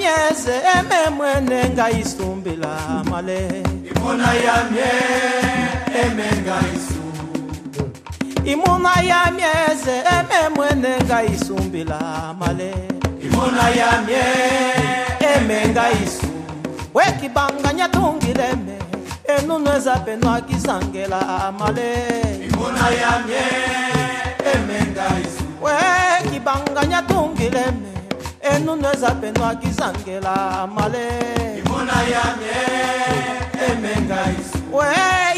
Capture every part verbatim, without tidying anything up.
mieze eme mwene nga isumbila male imuna ya mie eme nga isu imuna ya mieze eme mwene nga isumbila male imuna ya mie eme nga isu wekibanganya tungileme enunweza penwa kisangela male imuna ya mie eme nga isu wekibanganya tungileme enunweza penwa kisangela male imuna ya mie eme nga isu we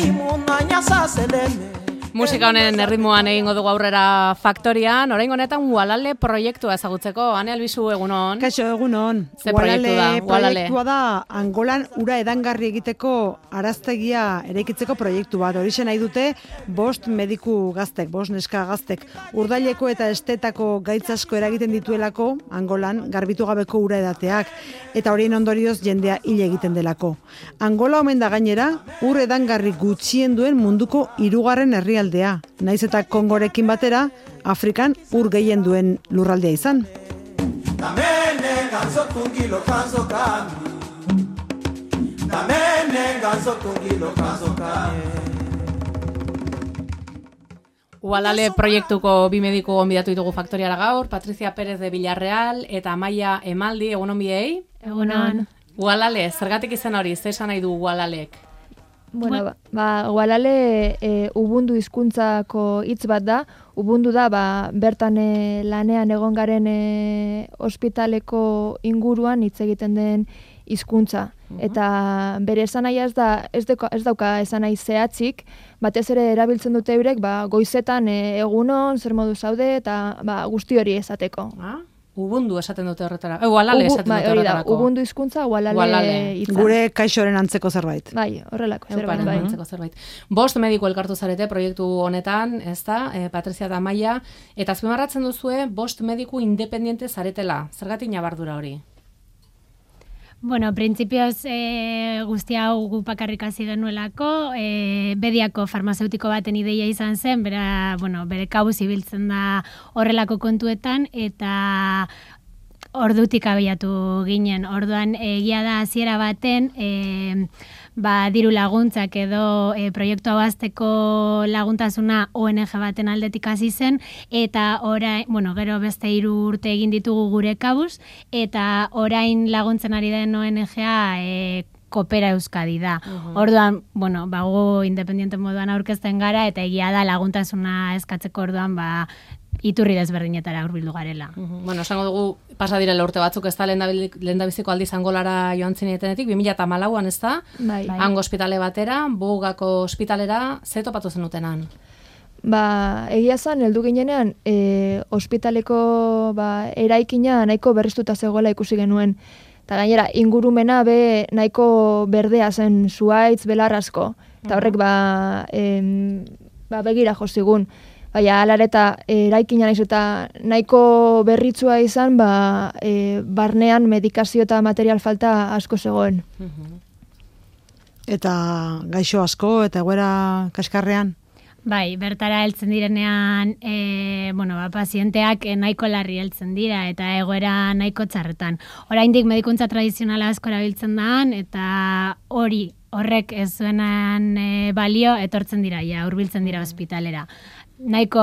imuna nyasaseleme. Musika honen erritmoan egingo dugu aurrera faktorian, orain honetan Ualale proiektua ezagutzeko. Ane Albizu, egunon? Kaixo, egunon. Ze proiektua da? Proiektua da Angolan ura edangarri egiteko araztegia eraikitzeko proiektu bat. Horixe nahi dute bost mediku gaztek, bost neska gaztek. Urdaileko eta estetako gaitz asko eragiten dituelako Angolan garbitu gabeko ura edateak. Eta horien ondorioz jendea hil egiten delako. Angola omen da gainera, ur edangarri gutxien duen munduko hirugarren herria aldea. Naiz eta Kongorekin batera, Afrikan ur gehien duen lurraldea izan. Ualale proiektuko bi mediku gonbidatu ditugu faktoriara gaur, Patricia Pérez de Villarreal eta Amaia Emaldi, egunon biei? Egunon. Ualale, zergatik izan hori, zer esan nahi du Ualalek? Bueno, ba, ba Ualale e, ubundu hizkuntzako hitz bat da. Ubundu da ba, bertan e, lanean egon garen e, ospitaleko inguruan hitz egiten den hizkuntza. Uh-huh. Eta bere esanahia ez da ez, deko, ez dauka esanahi zehatzik, batez ere erabiltzen dute eurek ba, goizetan e, egunon, zer modu zaude eta ba, guzti hori esateko. Ah? Ubundu esaten dute horretara. Eh, Ualale esaten dute horretarako. Da, ubundu hizkuntza, Ualale hitza. Gure kaixoren antzeko zerbait. Bai, horrelako zerbait. Bai. Antzeko zerbait. Bost mediku elkartu zarete proiektu honetan, ez da, eh, Patricia eta Amaia, eta azpimarratzen duzue bost mediku independiente zaretela. Zergatik nabardura hori? Bueno, printzipioz e, guzti hau gu bakarrik hasi genuelako, e, Bediako farmazeutiko baten ideia izan zen, bera, bueno, bere kabuz ibiltzen da horrelako kontuetan, eta ordutik abiatu ginen. Orduan egia da hasiera baten, e, ba, diru laguntzak edo e, proiektu hau hasteko laguntasuna O N G baten aldetik hasi zen, eta orain, bueno, gero beste hiru urte egin ditugu gure kabuz, eta orain laguntzen ari den O N G-a e, Kopera Euskadi da. Uh-huh. Orduan, bueno, ba, gu independiente moduan aurkezten gara, eta egia da laguntasuna eskatzeko orduan, ba, iturri desberdinetara hurbildu garela. Uh-huh. Bueno, esango dugu, pasa direla urte batzuk, ez da lehendabiziko aldiz Angolara joan zinetenetik, bi mila hamalauan ez da, bai. Hango ospitale batera, Bugako ospitalera, ze topatu zenutenan? Ba, egia zan, heldu ginenean, e, ospitaleko ba, eraikina nahiko berriztuta zegoela ikusi genuen. Eta gainera, ingurumena be nahiko berdea zen zuaitz belar asko. Eta horrek ba, em, ba begira jozigun. Baina, alareta, eraikina naiz eta nahiko berritzua izan, ba, e, barnean medikazio eta material falta asko zegoen. Uh-huh. Eta gaixo asko, eta egoera kaskarrean? Bai, bertara heltzen direnean, e, bueno, ba, pazienteak nahiko larri heltzen dira eta egoera nahiko txarretan. Oraindik medikuntza tradizionala asko erabiltzen da, eta hori horrek ez zuenan e, balio etortzen dira, ja, hurbiltzen dira ospitalera. Nahiko,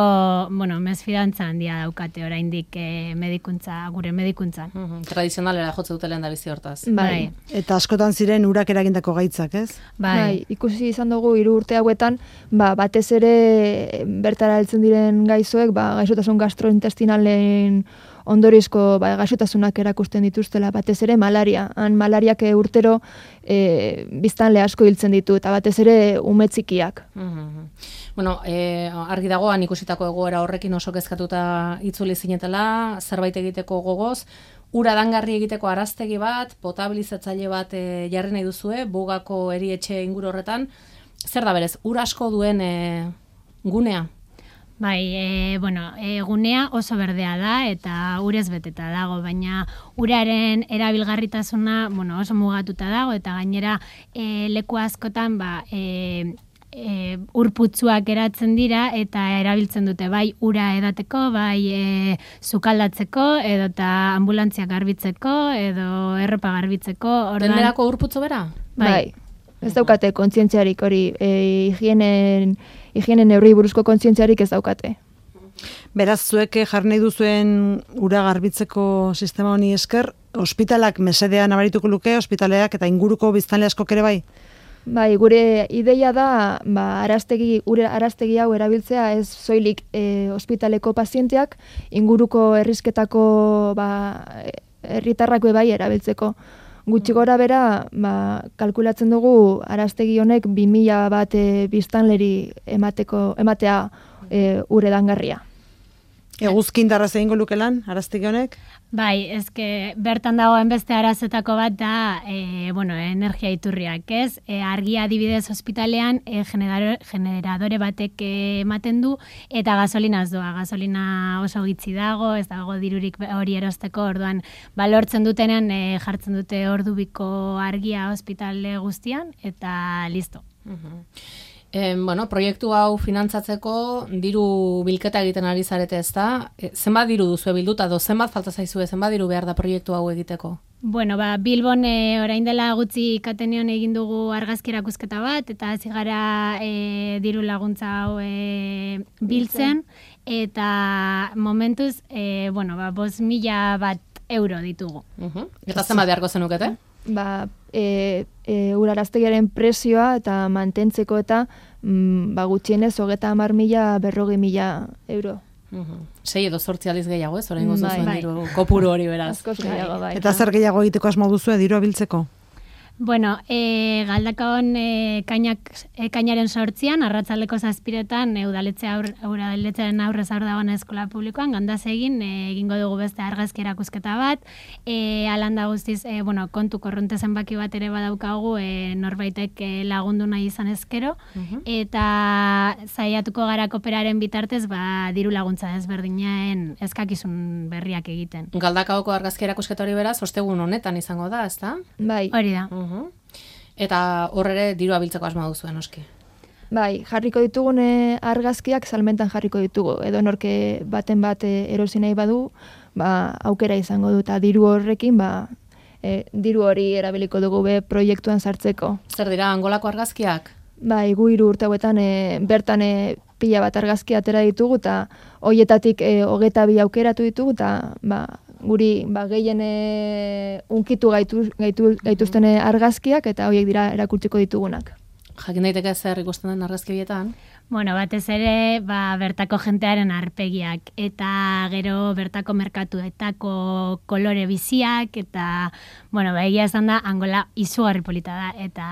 bueno, mesfidantza handia daukate oraindik e, medikuntza, gure medikuntzan. Uh-huh. Tradizionalera jotze dute lehen da bizi hortaz. Bai. Eta askotan ziren urak eragindako gaitzak, ez? Bai. Bai, ikusi izan dugu hiru urte hauetan, ba, batez ere bertara heltzen diren gaizoek, ba, gaixotasun gastrointestinalen ondorizko ba, gaixotasunak erakusten dituztela, batez ere malaria. Han malariak urtero e, biztanle asko hiltzen ditu, eta batez ere umetzikiak. Uh-huh. Bueno, eh, argi dagoan ikusitako egoera horrekin oso kezkatuta itzuli zinetela, zerbait egiteko gogoz, ura dangarri egiteko araztegi bat, potabilizatzaile bat e, jarri nahi duzue, Bugako erietxe inguru horretan. Zer da berez, ura asko duen e, gunea? Bai, e, bueno, e, gunea oso berdea da eta urez beteta dago, baina uraren erabilgarritasuna, bueno, oso mugatuta dago, eta gainera e, leku askotan ba, e, e, urputzuak eratzen dira eta erabiltzen dute bai ura edateko, bai e, sukaldatzeko, edo eta ambulantziak garbitzeko, edo erropa garbitzeko. Denerako urputzu bera? Bai. bai. Ez daukate kontzientziarik hori, e, higienen, higienen neurri buruzko kontzientziarik ez daukate. Beraz, zuek jarri nahi duzuen ura garbitzeko sistema honi esker, ospitalak mesedea nabarituko luke, ospitaleak eta inguruko biztanle askok ere bai? Bai, gure ideia da, ba, araztegi, ure araztegi hau erabiltzea ez soilik e, ospitaleko pazienteak, inguruko herrizketako ba, herritarrak bai erabiltzeko. Gutxi gora bera, ba, kalkulatzen dugu araztegi honek bi mila bat e, biztanleri emateko, ematea e, ure dangarria. Eguzkin darraz egingo luke lan, araztegi honek? Bai, ezke bertan dagoen beste arazetako bat da e, bueno, energia iturriak, ez? E, argia adibidez ospitalean e, generadore, generadore batek ematen du eta gasolina ez doa. Gasolina oso gitzi dago, ez dago dirurik hori erosteko, orduan balortzen dutenean e, jartzen dute ordubiko argia ospitale guztian eta listo. Uh-huh. E, bueno, proiektu hau finantzatzeko diru bilketa egiten ari zarete, ezta? E, zenbat diru duzu bilduta, do zenbat falta zaizue, zenbat diru behar da proiektu hau egiteko? Bueno, ba, Bilbon e, orain dela gutxi Kateneon egin dugu argazki erakusketa bat, eta hasi gara e, diru laguntza hau e, biltzen, eta momentuz, e, bueno, ba, bost mila bat euro ditugu. Uh-huh. Eta zenbat beharko zenukete? Ba, e, e, uraraztegiaren presioa eta mantentzeko eta mm, ba, gutxienez hogeta hamar mila berrogi mila euro. Uh-huh. Sei edo zortzi aliz gehiago, ez? Orain gozu bai, zuen bai. diru kopuru hori beraz. Askoz gehiago, bai. Eta zer gehiago egiteko asmo duzu diru abiltzeko? Bueno, e, galdakaon e, kainak, e, kainaren sortzian, arratzaldeko zazpiretan, e, udaletxe aur, udaletxearen aurrez aur dagoen eskola publikoan, gandaz egin, e, egingo dugu beste argazki erakusketa bat, e, alanda guztiz, e, bueno, kontu korronte zenbaki bat ere badaukagu, e, norbaitek e, lagundu nahi izan ezkero, uh-huh. eta zaiatuko gara kooperaren bitartez, ba, diru laguntza ezberdinaen eskakizun berriak egiten. Galdakaoko argazki erakusketa hori beraz, ostegun honetan izango da, ezta? Bai. Hori da. Uh-huh. Eta hor ere diru abiltzeko asma duzuen, noski. Bai, jarriko ditugune argazkiak salmentan jarriko ditugu. Edo norke baten bat erosi nahi badu, ba, aukera izango du, eta diru horrekin, ba, e, diru hori erabiliko dugu be proiektuan sartzeko. Zer dira, Angolako argazkiak? Bai, gu hiru urte hauetan e, bertan e, pila bat argazki atera ditugu, eta hoietatik e, hogeta bi aukeratu ditugu, eta ba, guri ba, gehien e, unkitu gaitu, gaitu, gaituzten argazkiak eta horiek dira erakutsiko ditugunak. Jakin daiteke zer ikusten den argazki horietan? Bueno, batez ere, ba, bertako jentearen arpegiak eta gero bertako merkatuetako kolore biziak eta, bueno, ba, egia esan da, Angola izugarri polita da eta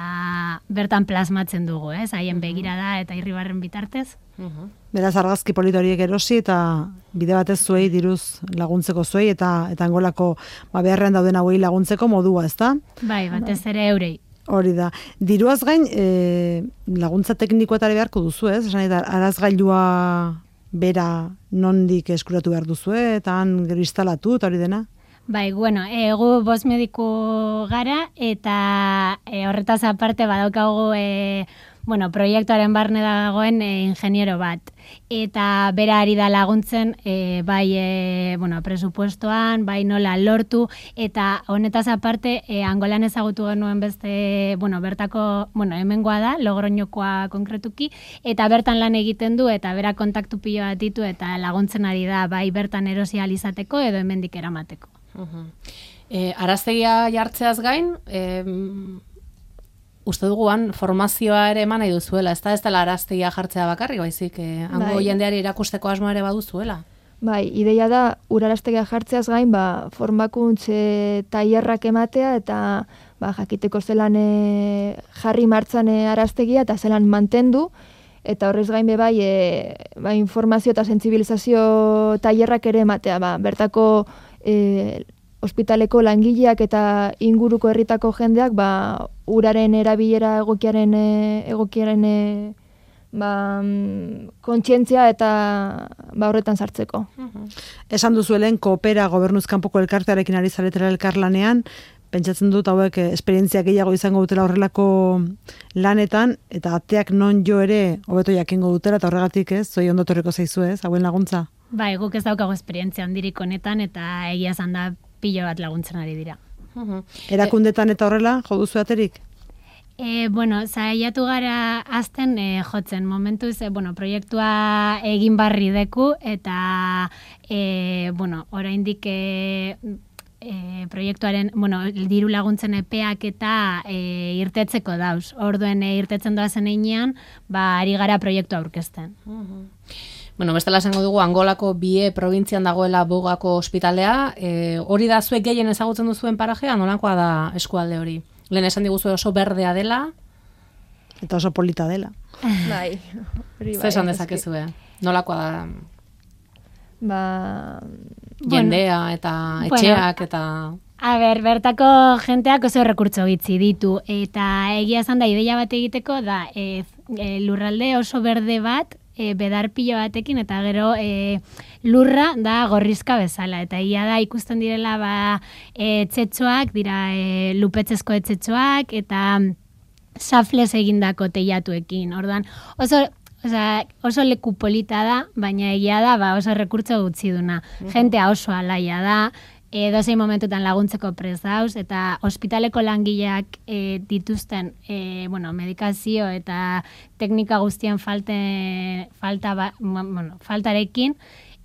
bertan plasmatzen dugu, ez? Haien begirada eta irribarren bitartez. Uh-huh. Beraz, argazki polita horiek erosi eta bide batez zuei diruz laguntzeko zuei eta eta Angolako ba, beharrean dauden hauei laguntzeko modua, ezta? Bai, batez ere eurei. Hori da. Diruaz gain, e, laguntza teknikoetare beharko duzu, ez? Esan eta arazgailua bera nondik eskuratu behar duzu, eta han gero instalatu, eta hori dena? Bai, bueno, e, gu bost mediku gara, eta e, horretaz aparte badaukagu e, bueno, proiektuaren barne dagoen e, ingeniero bat. Eta bera ari da laguntzen e, bai e, bueno, presupuestoan, bai nola lortu, eta honetaz aparte e, Angolan ezagutu genuen beste, bueno, bertako, bueno, hemengoa da, Logroñokoa konkretuki, eta bertan lan egiten du, eta bera kontaktu pilo bat ditu, eta laguntzen ari da, bai bertan erosi ahal izateko edo hemendik eramateko. Uh-huh. E, araztegia jartzeaz gain, e, uste duguan formazioa ere eman nahi duzuela, ez da ez dela araztegia jartzea bakarri, baizik, e, hango bai. jendeari erakusteko asmoa ere baduzuela. Bai, ideia da, uraraztegia jartzeaz gain, ba, formakuntze tailerrak ematea, eta ba, jakiteko zelan e, jarri martzan e, araztegia, eta zelan mantendu, eta horrez gain be bai, e, ba, informazio eta sentsibilizazio tailerrak ere ematea, ba, bertako e, ospitaleko langileak eta inguruko herritako jendeak ba, uraren erabilera egokiaren e, egokiaren e, ba, kontzientzia eta ba, horretan sartzeko. Uh-huh. Esan duzuelen koopera gobernuz kanpoko elkartearekin ari zaretela elkarlanean, pentsatzen dut hauek esperientzia gehiago izango dutela horrelako lanetan, eta ateak non jo ere hobeto jakingo dutela, eta horregatik ez, zoi ondo torriko zaizu ez, hauen laguntza? Bai, guk ez daukago esperientzia handirik honetan, eta egia esan da pilo bat laguntzen ari dira. Erakundetan eta horrela, jo duzu aterik? E, bueno, saiatu gara azten e, jotzen, momentuz, e, bueno, proiektua egin barri deku, eta, e, bueno, oraindik e, e, proiektuaren, bueno, diru laguntzen epeak eta e, irtetzeko dauz. Orduen e, irtetzen doazen einean, ba, ari gara proiektua aurkezten. Bueno, bestela esango dugu Angolako bie probintzian dagoela Bogako ospitalea, e, hori da zuek gehien ezagutzen duzuen parajea, nolakoa da eskualde hori? Lehen esan diguzu oso berdea dela. Eta oso polita dela. Bai. Zer esan dezakezue? Nolakoa da? Ba... Jendea eta etxeak eta... A ber, bertako jenteak oso rekurtso bitzi ditu, eta egia esan da ideia bat egiteko da e, e, lurralde oso berde bat, e, bedar pilo batekin, eta gero e, lurra da gorrizka bezala, eta egia da ikusten direla ba, e, etxetxoak, dira e, lupetzezko etxetxoak, eta safles egindako teilatuekin, orduan oso... Osea, oso leku polita da, baina egia da ba, oso rekurtso gutxi duna. Jentea oso alaia da, edozein momentutan laguntzeko prest dauz, eta ospitaleko langileak e, dituzten e, bueno, medikazio eta teknika guztien falte, falta ba, bueno, faltarekin,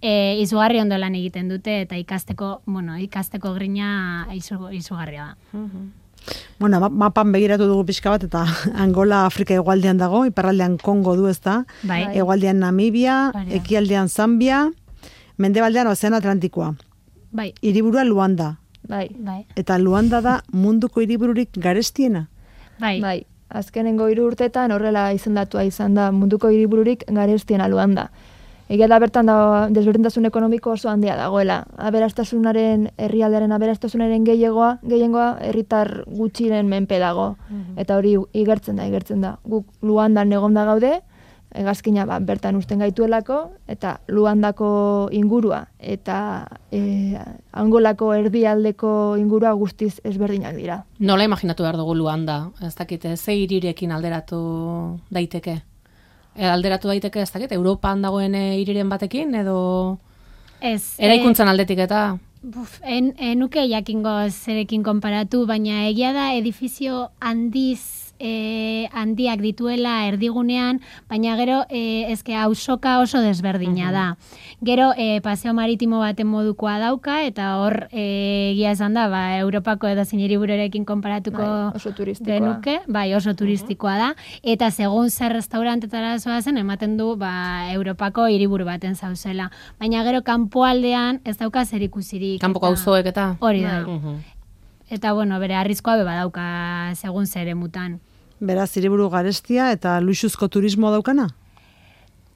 e, izugarri ondo lan egiten dute, eta ikasteko, bueno, ikasteko grina izu, izugarria da. Bueno, mapan begiratu dugu pixka bat, eta Angola Afrika hegoaldean dago, iparraldean Kongo du ezta, bai. Hegoaldean Namibia, Baria. ekialdean Zambia, mendebaldean Ozeano Atlantikoa. Bai. Hiriburua Luanda. Bai. Bai. Eta Luanda da munduko hiribururik garestiena. Bai. Bai. Azkenengo hiru urteetan horrela izendatua izan da munduko hiribururik garestiena Luanda. Egia da bertan da desberdintasun ekonomiko oso handia dagoela. Aberastasunaren, herrialdearen aberastasunaren gehiagoa, gehiengoa herritar gutxiren menpe dago. Eta hori igertzen da, igertzen da. Guk Luandan egonda gaude, hegazkina ba, bertan usten gaituelako, eta Luandako ingurua eta e, Angolako erdialdeko ingurua guztiz ezberdinak dira. Nola imaginatu behar dugu Luanda? Ez dakite, ze hirirekin alderatu daiteke? E, alderatu daiteke, ez dakit, Europan dagoen hiriren batekin, edo Ez. eraikuntzan aldetik eta... Buf, en, enuke jakingo zerekin konparatu, baina egia da edifizio handiz e, handiak dituela erdigunean, baina gero e, ezke auzoka oso desberdina da. Gero e, paseo maritimo baten modukoa dauka, eta hor e, egia esan da, ba, Europako edo hiribururekin konparatuko Bai, oso turistikoa. denuke, bai, oso turistikoa da, eta segun zer restaurantetara zoazen, ematen du ba, Europako hiriburu baten zauzela. Baina gero kanpoaldean ez dauka zer ikusirik. Kanpoko auzoek eta... Hori da. Mhm. Eta, bueno, bere arriskoa be badauka segun zer emutan. Beraz, hiriburu garestia eta luxuzko turismo daukana?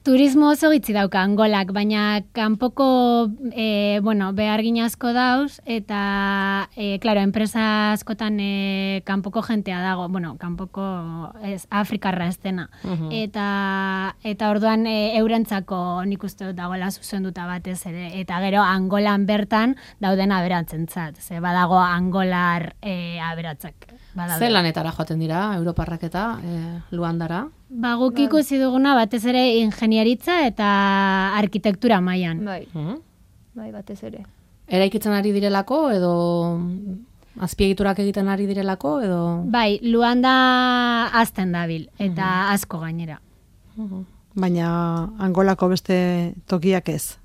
Turismo oso gitzi dauka Angolak, baina kanpoko e, bueno, behargin asko dauz, eta, e, claro, enpresa askotan e, kanpoko jentea dago, bueno, kanpoko ez, Afrikarra ez dena. Mhm. Eta, eta orduan e, eurentzako nik uste dut dagoela zuzenduta batez ere, eta gero Angolan bertan dauden aberatzentzat, ze badago Angolar e, aberatzak. Ze lanetara joaten dira, Europarrak eta e, Luandara? Ba, guk ikusi duguna batez ere ingenieritza eta arkitektura mailan. Bai, Mhm. bai, batez ere. Eraikitzen ari direlako, edo azpiegiturak egiten ari direlako, edo... Bai, Luanda azten dabil, eta asko gainera. Baina Angolako beste tokiak ez.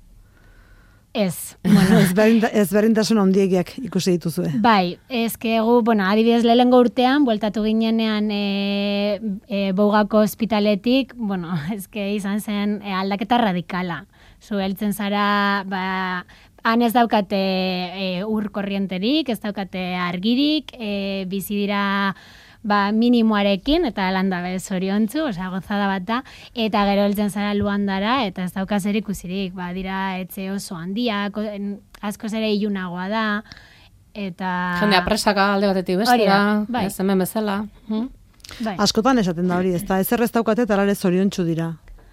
Ez, bueno, Ezberdinta- Ezberdintasun handiegiak ikusi dituzue. bai, ezke gu, bueno, adibidez lehengo urtean, bueltatu ginenean e, e, Bougako ospitaletik, bueno, ezke izan zen e, aldaketa radikala. Zu heltzen zara, ba, han ez daukate e, ur korrienterik, ez daukate argirik, e, bizi dira ba, minimoarekin, eta landa bez zoriontzu, osea, gozada bat da, eta gero heltzen zara Luandara, eta ez dauka zer ikusirik, ba, dira etxe oso handiak, asko ere ilunagoa da, eta... Jendea presaka alde batetik Hori bestera, da, bai. ez hemen bezala. Mhm. Bai. Askotan esaten da hori, ezta ezer ez daukate eta alare zoriontsu dira.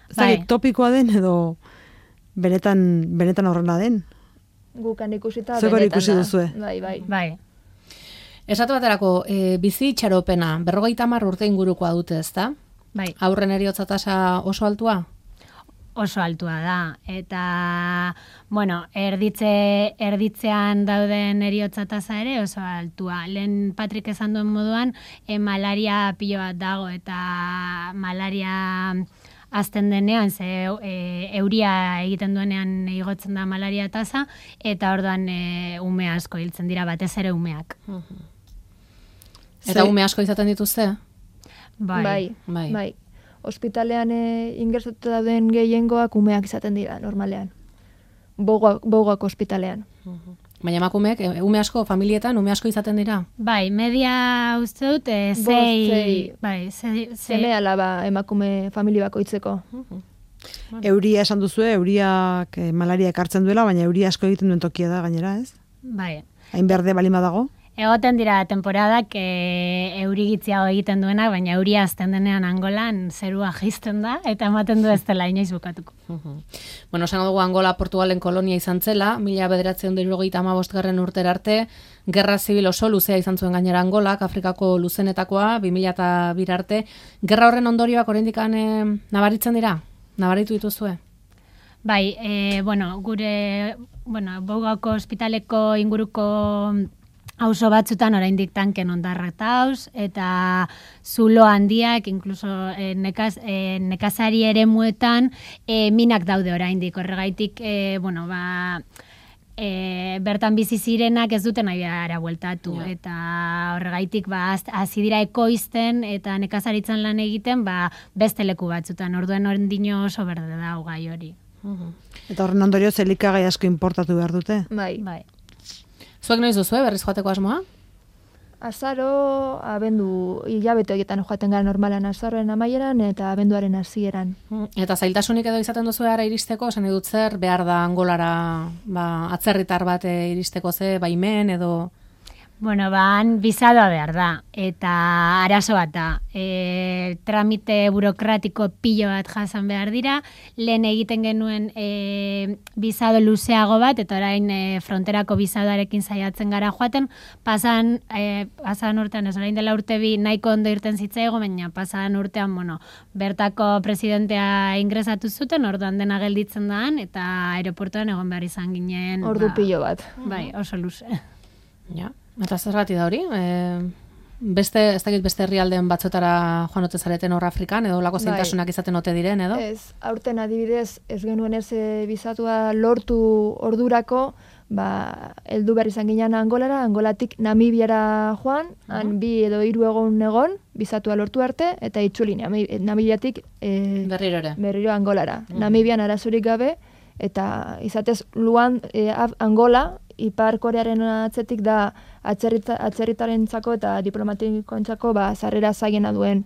Ez Bai. dakit topikoa den edo benetan benetan horrela den. Gukan ikusita Zuek hori benetan ikusi da. duzue. Bai, bai. Bai. Esate baterako, e, bizi itxaropena, berrogeita hamar urte ingurukoa dute, ezta? Bai. Aurren eriotza tasa oso altua? Oso altua da, eta, bueno, erditze, erditzean dauden eriotza tasa ere oso altua. Lehen Patrik esan duen moduan, e, malaria pilo bat dago, eta malaria azten denean, ze e, euria egiten duenean igotzen da malaria tasa, eta orduan e, ume asko hiltzen dira, batez ere umeak. Eta ume asko izaten dituzte? Bai, bai. bai. bai. Ospitalean e, ingresatu dauden gehiengoak umeak izaten dira, normalean. Bogak, bogak ospitalean. Baina emakumeek, ume asko, familietan, ume asko izaten dira? Bai, media uste dut, e, zei... zei. Bai, zei... Seme alaba emakume famili bakoitzeko. Euria esan duzue, euriak eh, malaria ekartzen duela, baina euria asko egiten duen tokia da gainera, ez? Bai. Hain berde balima dago? Egoten dira temporadak e, eurigitziago egiten duena, baina euria azten denean Angolan zerua jisten da, eta ematen du ez dela inoiz bukatuko. Bueno, esango dugu Angola Portugalen kolonia izan zela, mila bederatziehun eta hirurogeita hamabostgarren urtera arte, gerra zibil oso luzea izan zuen gainera Angolak, Afrikako luzenetakoa, bi mila bi arte. Gerra horren ondorioak oraindik eh, nabaritzen dira? Nabaritu dituzue? Bai, e, bueno, gure, bueno, Bogako ospitaleko inguruko auzo batzutan oraindik tanken ondarrak dauz, eta zulo handiak, inkluso e, nekaz, e, nekazari eremuetan e, minak daude oraindik. Horregaitik, e, bueno, ba, e, bertan bizi zirenak ez duten abiara bueltatu, ja. Eta horregaitik ba, hasi dira ekoizten eta nekazaritzan lan egiten ba, beste leku batzutan, orduen orendino oso berde da gai hori. Uh-huh. Eta horren ondorioz elikagai asko importatu behar dute? Bai. Bai. Zuek noiz duzue, berriz joateko asmoa? Azaro, abendu, hilabete horietan joaten gara normalan azaroen amaieran eta abenduaren hasieran. Eta zailtasunik edo izaten duzu ara iristeko, esan dut zer, behar da Angolara ba, atzerritar bat iristeko ze, baimen edo... Bueno, ban, bizadoa behar da, eta arazo bat da. E, tramite burokratiko pilo bat jasan behar dira, lehen egiten genuen e, bizado luzeago bat, eta orain e, fronterako bizadoarekin saiatzen gara joaten, pasan, e, pasan urtean, ez orain dela urte bi nahiko ondo irten zitzaigo, baina pasan urtean, bueno, bertako presidentea ingresatu zuten, orduan dena gelditzen daan, eta aeroportuan egon behar izan ginen... Ordu ba, pilo bat. Bai, oso luze. Ja. Eta zergati da hori? E, beste, ez dakit beste herrialdean batzotara joan ote zareten hor Afrikan, edo lako zaintasunak izaten ote diren, edo? Ez, aurten adibidez, ez genuen ez bizatua lortu ordurako, ba, heldu behar izan ginen Angolara, Angolatik Namibiara joan, uh-huh. han bi edo hiru egon egon, bizatua lortu arte, eta itzuli Namibiatik e, berriro ere. Berriro Angolara. Uh-huh. Namibian arazurik gabe, eta izatez Luan, e, Angola, Ipar Korearen atzetik da atzerrita, atzerritarentzako eta diplomatikoentzako ba sarrera zailena duen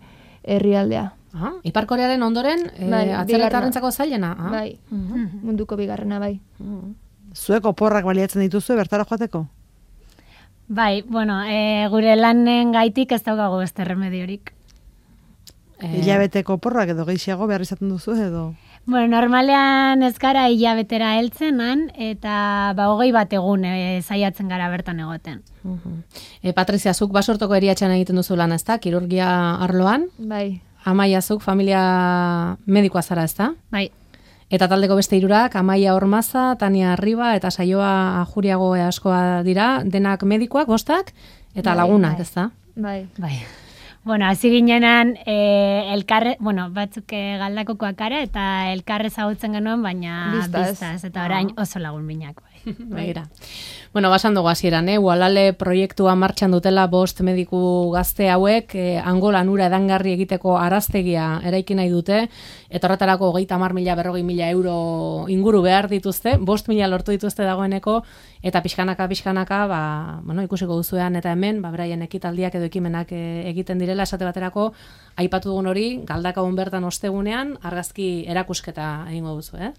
herrialdea. Aha, Ipar Korearen ondoren e, bai, atzerritarrentzako zailena? Ah? Bai, uh-huh. munduko bigarrena bai. Uh-huh. Zuek oporrak baliatzen dituzu bertara joateko? Bai, bueno, e, gure lanen gaitik ez daukagu beste remediorik. E... Hilabeteko oporrak edo gehiago behar izaten duzu edo... Bueno, normalean ez gara hilabetera heltzenan, eta ba, hogei bat egun e, zaiatzen gara bertan egoten. Uh-huh. E, Patrizia, zuk basortoko eriatxan egiten duzu lan, ez da? Kirurgia arloan? Bai. Amaia, zuk familia medikoa zara, ez da? Bai. Eta taldeko beste hirurak, Amaia Ormaza, Tania Arriba eta Saioa Ajuriago askoa dira, denak medikoak, bostak, eta bai, lagunak, bai. Ez da? Bai. Bai. Bueno, hasi ginenan e, elkarre, bueno, batzuk galdakokoak gara eta elkarre zagutzen genuen, baina biztaz, biztaz eta orain oso lagun minak. Bai. Begira. Bueno, basan dugu hasieran, eh? Ualale proiektua martxan dutela bost mediku gazte hauek, eh, Angolan ura edangarri egiteko araztegia eraiki nahi dute, eta horretarako hogeita hamar mila berrogei mila euro inguru behar dituzte, bost mila lortu dituzte dagoeneko, eta pixkanaka, pixkanaka, ba, bueno, ikusiko duzuean eta hemen, ba, beraien ekitaldiak edo ekimenak e, egiten direla, esate baterako, aipatu dugun hori, galdakagun bertan ostegunean, argazki erakusketa egingo duzu, eh?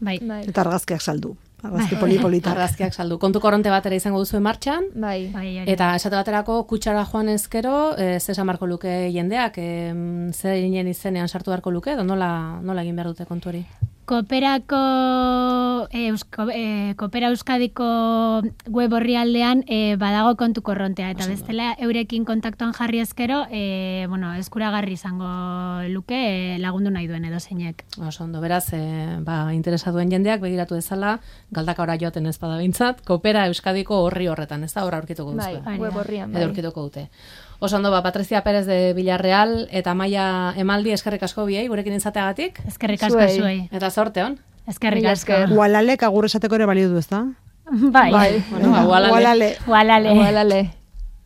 Bai. Bai. Eta argazkiak saldu. Argazki poli-politak. Argazkiak saldu. Kontu koronte batera izango duzu martxan. Bai. Bai, eta esate baterako kutsara joan ezkero, e, ze esan beharko luke jendeak, e, zer inenean izenean sartu beharko luke, edo nola, nola egin behar dute kontu hori? Kooperako, e, Eusko, e, Koopera Euskadiko web orrialdean e, badago kontu korrontea, eta bestela eurekin kontaktuan jarri ezkero, e, bueno, eskuragarri izango luke e, lagundu nahi duen edo zeinek. Oso ondo, beraz, e, ba, interesa duen jendeak begiratu dezala, galdaka ora joaten ez bada bintzat, Koopera Euskadiko horri horretan, ez da, horra aurkituko duzue. Bai, web orrian, bai. Edo aurkituko dute. Oso ondo, ba, Patricia Pérez de Villarreal eta Amaia Emaldi eskerrik asko biei, gurekin izateagatik. Eskerrik asko zuei. Eta sorte hon. Eskerrik asko. Ualalek agur esateko ere balio du, ez da? Bai. Bai. Bueno, ualale. Ualale. Ualale. Ualale.